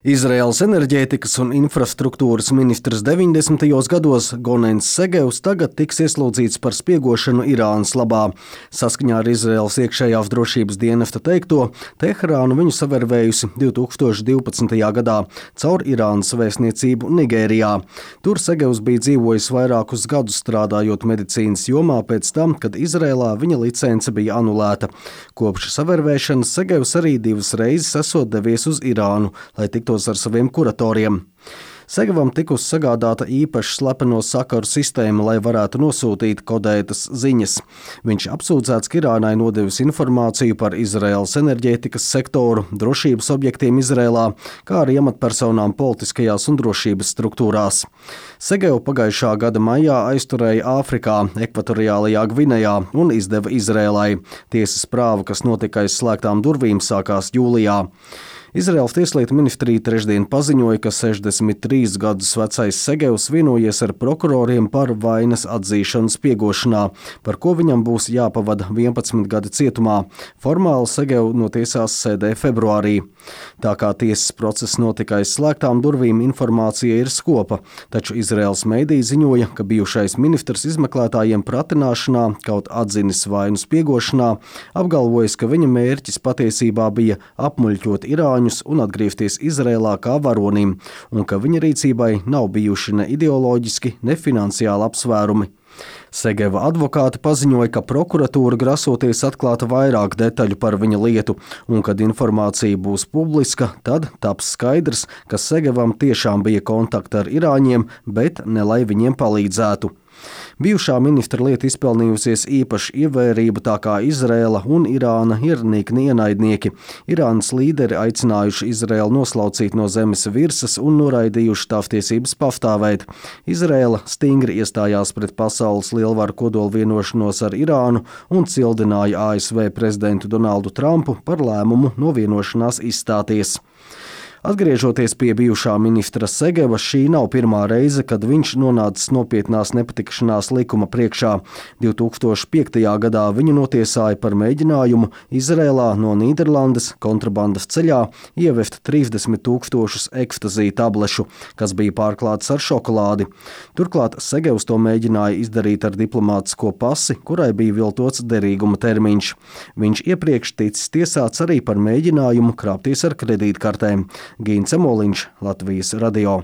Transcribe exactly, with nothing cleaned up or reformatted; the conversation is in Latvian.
Izraēlas enerģētikas un infrastruktūras ministrs deviņdesmitajos gados Gonens Segevs tagad tiks ieslodzīts par spiegošanu Irānas labā. Saskaņā ar Izraēlas iekšējās drošības dienesta teikto, Teherāna viņu savervējusi divi tūkstoši divpadsmitajā gadā caur Irānas vēstniecību Nigērijā. Tur Segevs bija dzīvojis vairākus gadus strādājot medicīnas jomā pēc tam, kad Izraēlā viņa licence bija anulēta. Kopš savervēšanas Segevs arī divas reizes esot devies uz Irānu, lai tiktu ar saviem kuratoriem. Segevam tikusi sagādāta īpaša slepeno sakaru sistēma, lai varētu nosūtīt kodētas ziņas. Viņš apsūdzēts, ka Irānai nodevis informāciju par Izraēlas enerģētikas sektoru, drošības objektiem Izraēlā, kā arī amatpersonām politiskajās un drošības struktūrās. Segevu pagājušā gada maijā aizturēja Āfrikā, Ekvatoriālajā Gvinejā un izdeva Izraēlai. Tiesas prāva, kas notika aiz slēgtām durvīm, sākās jūlijā. Izraēlas tieslietu ministrija trešdien paziņoja, ka sešdesmit trīs gadus vecais Segevs vienojies ar prokuroriem par vainas atzīšanu spiegošanā, par ko viņam būs jāpavada vienpadsmit gadi cietumā. Formāli Segevu notiesās sēdē februārī. Tā kā tiesas process notika aiz slēgtām durvīm, informācija ir skopa, taču Izraēlas meidiji ziņoja, ka bijušais ministrs izmeklētājiem pratināšanā, kaut atzinis vainu spiegošanā, apgalvojis, ka viņa mērķis patiesībā bija apmuļķot Irāņu un atgriezties Izraēlā kā varonim, un ka viņa rīcībai nav bijuši ne ideoloģiski, ne finansiāli apsvērumi. Segeva advokāti paziņoja, ka prokuratūra grasoties atklāt vairāk detaļu par viņa lietu, un kad informācija būs publiska, tad taps skaidrs, ka Segevam tiešām bija kontakti ar irāņiem, bet ne lai viņiem palīdzētu. Bijušā ministra lieta izpelnījusies īpašu ievērību, tā kā Izraēla un Irāna ir nikni ienaidnieki. Irānas līderi aicinājuši Izraēlu noslaucīt no zemes virsmas un noraidījuši tās tiesības pastāvēt. Izraēla stingri iestājās pret pasaules lielvaru kodola vienošanos ar Irānu un cildināja A S V prezidentu Donaldu Trumpu par lēmumu no vienošanās izstāties. Atgriežoties pie bijušā ministra Segeva, šī nav pirmā reize, kad viņš nonācis nopietnās nepatikšanās likuma priekšā. divi tūkstoši piektajā gadā viņu notiesāja par mēģinājumu Izraēlā no Nīderlandes kontrabandas ceļā ievest trīsdesmit tūkstošus ekstazī tablešu, kas bija pārklāts ar šokolādi. Turklāt Segevs to mēģināja izdarīt ar diplomātisko pasi, kurai bija viltots derīguma termiņš. Viņš iepriekš ticis tiesāts arī par mēģinājumu krāpties ar kredītkartēm. Gīns Emoliņš, Latvijas radio.